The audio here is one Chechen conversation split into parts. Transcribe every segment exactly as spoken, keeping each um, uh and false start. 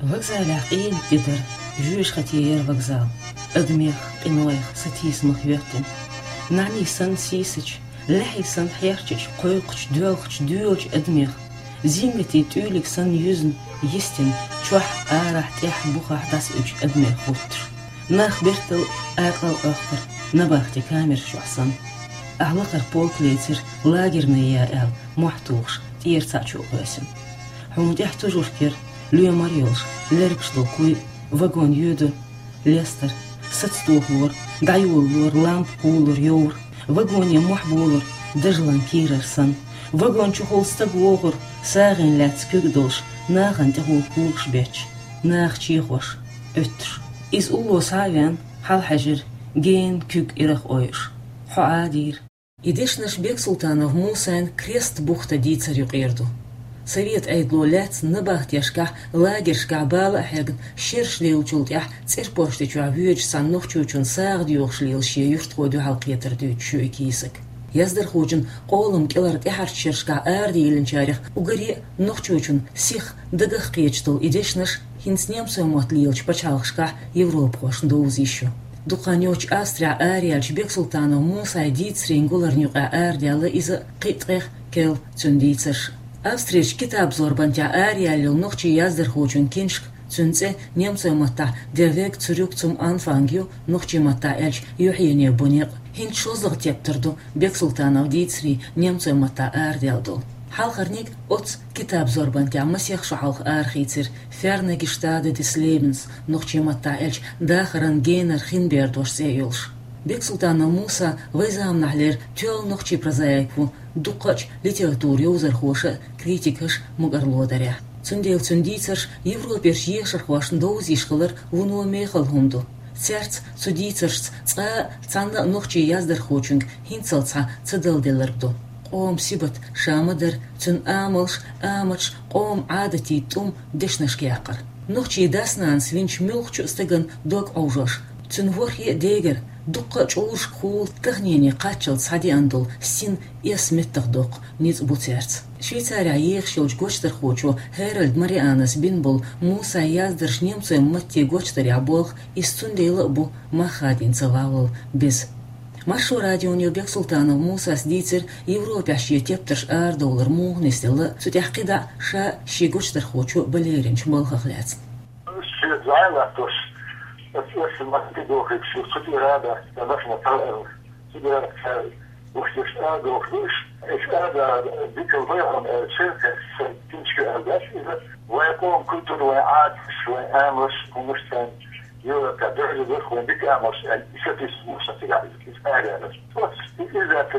Вокзалехь къийна де дара, жоьжахате яра вокзал. Адамех, къинойх, сатийсамах йоьттина. НӀаьний санна сийсача, лаьхьий санна хьерчача, кхойкхуча, доьлхуча, доьлуча адамех, зингатийн тӀуьйлиг санна юьзна, йистина, чохь, арахь, тӀехь, бухахь дӀасаоьцучу адамех хӀуттуш. Нах бертал акъал-акхар, набахте камераш чохь санна. Ахь лакхара полк лецира, лагерная я аьлла, мохь тухуш, тӀера цхьаъ чу а кхоьссина. Хьуна тӀехь тужург яра, лоьмар а йолуш, лергаш долу куй, вагон йоьдура, лестара, саца тохалора, дӀайолалора, лампа кхуллура, йовра, вагоне мохь болура, дажалан кийрара санна. Вагон чухула стаг вогӀура, сагӀина лаьцна куьг а долуш, нахана тӀехула когаш бетташ, наха чехош, оьттуш. Иза улло схьа а веана, хьалахьаьжира, гена куьг ирах ойуш. Хьо Ӏадийра. И дешнаш Бексултанов Мусайн «Крест бухта» дийцар юкъера ду. Совет Ӏедало лаьцна набахтешкахь, лагершкахь бала а хьегна, шераш лелачул тӀаьхьа ЦӀерпошти чохь воьдучу цхьана нохчочун сагӀа доьхуш лела шен юьртахо дуьхьал кхетар дуьйцуш ю и кийсак. Яздархочун къолам кӀелара тӀаьхьарчу шерашкахь арадийлинчарех уггаре а нохчочун сих дагах кхеташ долу и дешнаш хӀинца немцойн мотт лелачу пачхьалкхашкахь европахошна довза йиш ю. Дукха хан йоццуш Австрехь араяьллачу Бексултанов Мусайн дийцарийн гуларна юкъахь арадаьлла иза кхин а ткъех керла цуьнан дийцарш. Австрерчу китабзорбанехь араяьлла йолу нохчийн яздархочун киншка, цуьнан цӀе немцойн маттахь «Der Weg zurück zum Anfang» ю, нохчийн маттахь аьлча «Юьхьене бу некъ». ХӀинца шолгӀа тептар ду Бексултанов дийцарийн немцойн маттахь арадаьлла долу. Хьалхарниг оццу китабзорбанехь масех шо хьалха арахийцира «Ferne Gestade des Lebens», нохчийн маттахь аьлча «Дахаран генара хин бердош» цӀе йолуш. Бексултанов Муса вайн заманахьлера тоьлла нохчийн прозаик ву, дуккхачу литературан йовзархоша а, критикаша а мукӀарло дарехь. Цундела цуьнан дийцарш Европерчу ешархошна довза йиш хилар вуно мехала хӀума ду. Цаьрца, цу дийцаршца цкъа а цхьанна а нохчийн яздархочуьнга хӀинццалц схьа ца далделларг ду. Къоман сибат, ша ма-дарра, цуьнан амалш, аматаш, къоман Ӏадатийн тӀум дешнашка яккхар. Нохчийн дас-нанас винчу муьлххачу а стагана дог Ӏовжош, цуьнан ворхӀе а дегара, дуккха а чӀурашкахула таханене кхаччалц схьадеана долу син эс меттахдоккху ницкъ бу цаьрца. Швейцарехь ехаш йолчу гочдархочо Херальд Марианас бина болу Мусайн яздарш немцойн матте гочдарехь болх, иза цундела а бу мах хадийна ца валлал беза. Маршо радионо Бексултанов Мусас дийцира Европехь шен тептарш арадовлар муха нисделла, цу тӀехь кхидӀа а ша а, шен гочдархочо а балеринчу балхах лаьцна. Шен зӀе латтош, аса эсса маттиг дохуьйтуш ю, цу тӀера а дац, сан башха ма ца веана, цу тӀера ца гуш дерш а дохуш ду уьш. Иш а да дика вайхьама аьлча, сан киншка а дац иза, вайн къоман культура, вайн Ӏадаташ, вайн амалш, хӀуманаш царна Европа дерза дерх вайн дика амалш аьлла, и сатийсам бу сан цигахь иза, иза арадаьлларш. Оцу и иза дац,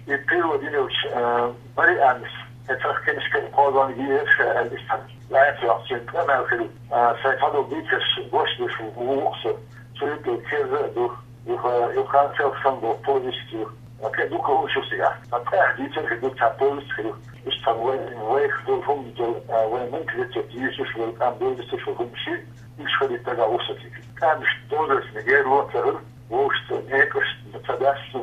и перевод йина йолчу, э, Марианас, э, цхьа киншка кхозлагӀа езаш аьлла, иштта лаьцна йоккхучун къамел хир ю. Э, сайн цхьадолу дийцарш гочдеш ву, ву-кх со. Цу юкъе Керза а ду, юха, юха Ханцел санна долу повесть ю. Э, кхин дукха хӀуманаш ю цигахь. Ткъа тӀаьхьа дийцар хир ду, цхьа повесть хир ю. Иштта вай, вайх долу хӀума долу, э, вайн менталитет йийшуш волу, къам дозуьйтуш волу хӀуманаш ю, уьш хилийта дагахь ву сан цига. КӀанташна дозаллина герла ца хир, вовшашца некъаш ца даьсса,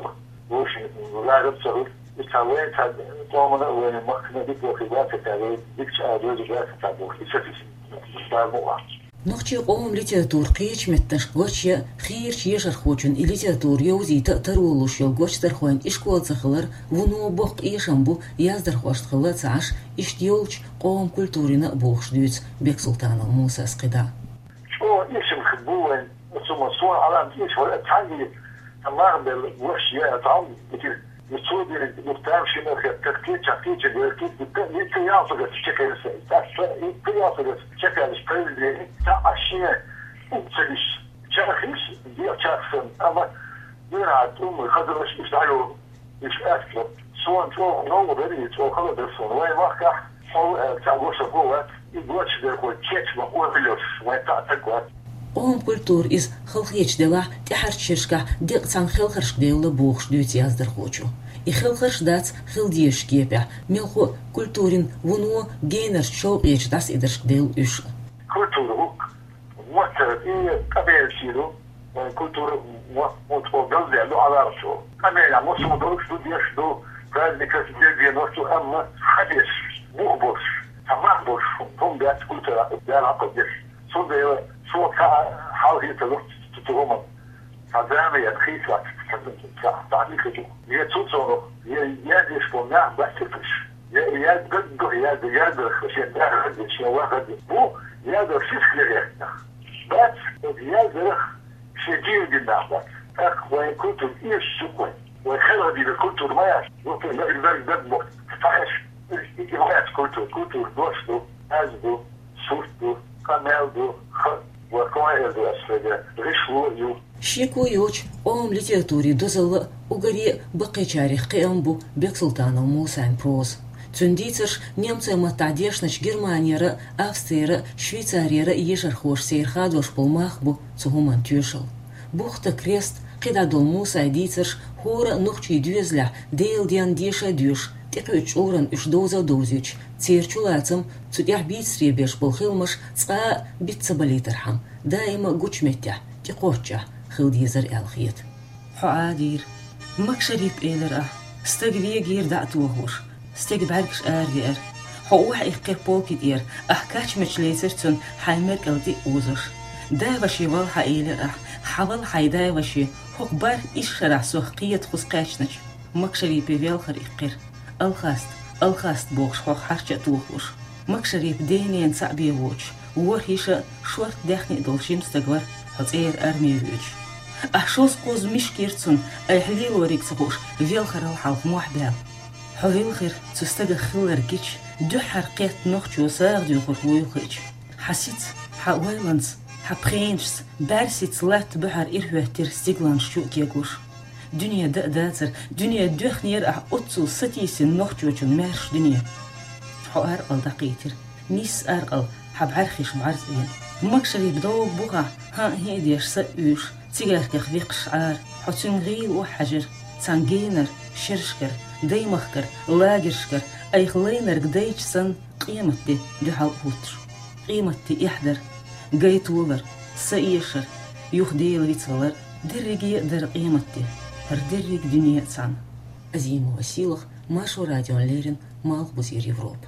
вовшийн ларам ца хуьлу. Иза цхьа вайн цхьа къомана а, вайн махкана а дика вахийта вацар, вай дикачу а доза вацар бохуш, иза сатийсам бу сан цигахь. Нохчийн къоман литература кхечу меттанашка гочйа хийрачу ешархочун и литература йовзийта а таро луш йолу гочдархойн ишкол ца хилар вуно боккха эшам бу, яздархошна хилла а ца Ӏаш, иштта йолчу къоман культурина а бохуш дуьйцу Бексултанов Мусас кхидӀа. ЧӀогӀа эшам хир бу вайн. Оцу ма суна Ӏаламат ийша вара, цхьаьнгге сан мах белла, гуш я, цхьа хӀума дитира. И цо дерриг дукха тамашийна хетта, кхечахь, кхечахь, кхечахь, дукха, и ца ялсагӀа чекхелса, цхьа, и ца ялсагӀа чекхелаш, произведение, цхьа а шен уьцалиш, чархиш, дегӀ чарх санна, амма дуьйна тӀум хазалаш иштта дӀайолу. Уьш аьтту. Суна чӀогӀа новкъа дара и, чӀогӀа хала дара суна. Вайн махкахь хьо, э, цхьа гочдархо вац, и гочдерхой кечбан къобалъеш, вайн цхьа а стаг вац. Къоман культура иза халахеташ делахь, тӀаьхьарчу шерашкахь декъа цхьана хелхаршка девлла бохуш дуьйцу яздархочо. И хелхарш дац хила дезачу кепехь, мелхо а культурин вуно генарчу шовкъечу дӀасаидаршка девлла уьш. Культура хӀуъ Моттара и къамелаш ю, вайн культура мотт хӀун тхо галдаьлла ду Ӏаламат чӀогӀа. Къамелехь массо а долуш ду, деш ду, праздникаш, дегенаш ду, амма хьан деш, бух болуш, цхьа мах болуш хӀума дац культура, Дала хьакхо деш. Цундела со цхьа хьал хӀинца луш ца хӀуман. Цхьа зама я хийцлац, цхьа, цхьа, цхьа хӀинца ду. Я цу цунах, я, я деш бо нах бацикаш. Я, я гаггах, я, я дарах, шен даггах, шен ваггах. Бу, я дар шиш легехтах. Бац, я дарах, шен дин дин нах бац. Так, вай культура еш шукой. Вай херга дина культура ма яш. Вот, я, я, я, я, вот, фаеш. Иш, иш, иш, иш, культура, культура, дош ду, аз ду, сурт ду, къамаьл ду, ха, ва кхоьл ду ас шуга, гӀишло ю. Шеко йоцуш, къоман литературин дозалла а, уггаре а баккхийчарех кхиам бу Бексултанов Мусайн проза. Цуьнан дийцарш немцойн маттахь дешначу Германера а, Австрера а, Швейцарера а ешархоша сайра хадош болу мах бу цу хӀуманан тоьшалла. Бухта крест, кхидӀа долу Мусайн дийцарш хӀора а нохчийн доьзалехь Делан денна деша а доьшуш, тӀекхуьучу чкъурана уьш довза а довзуьйтуш, церан чулацам, цу тӀехь бийцаре беш болу хиламаш цкъа а биц ца балийтархьама, даима а гучу меттехь, тӀекхоччехь хила дезара аьлла хета. Хьо Ӏадийра. Макшарип элира ахь, стаг вегийра дӀа а тохош, стеган бӀаьргаш аравеара. Хьо охьаиккхира полки тӀера, ахь кач мача лецира цунна хьайн меркӀал тӀе а озош. Дай-ваши вала хьан элира ахь, хьан вала хьайн дай-ваши, хӀокху бархӀ исс шарахь сох кхета хӀума кхаьчначу. Макшарипе велхар иккхира. Алхаста, алхаста бохуш хьох хьарча а тохош. Макшарипа ден-ненан цхьаъ бен воцуш, ворхӀ йиша а, шорта даьхни а долу жима стаг вара, хьо цӀера арме воьдуш. Ахь шозза-кхозза мишкира цунна, айхьа лелориг ца хууш, велхарал хьалха мохь баьлла. Хьо вилхира цу стагах хилларг гича, дуьххьара кхетта нохчо сагӀа доьхург вуй хиъча. Хьан сица, хьан ойланца, хьан пхенашца, бӀаьрсица латта буьхьара ирахӀоьттира стигланаш чу а кеглуш. Дуьне дан а дацара, дуьне доьхнера ахь оццул сатийсина нохчочун маьрша дуьне. Хьо аркъал дӀакхийтира, нийсса аркъал хьан бӀаьрхиш бӀарзъена. Макшарип довгӀа бухахь, хӀан а хӀиъ деш са а уьйш, цигаьркех векхаш Ӏара, хьо цуьнан гӀийла охьахьаьжира, цхьана генара, шерашкара, даймахкара, лагершкара, айхьа лайнарг дайча санна, къематде дуьхьал а хӀуттуш. Къематде эхь дара, гайтолар, са эшар, юха Дела вицвалар, дерриге а дара къематде, хӀара дерриг дуьне а цхьаьна. Азимова Сийлаха, Маршо радиона леррина, Малхбузера Европа.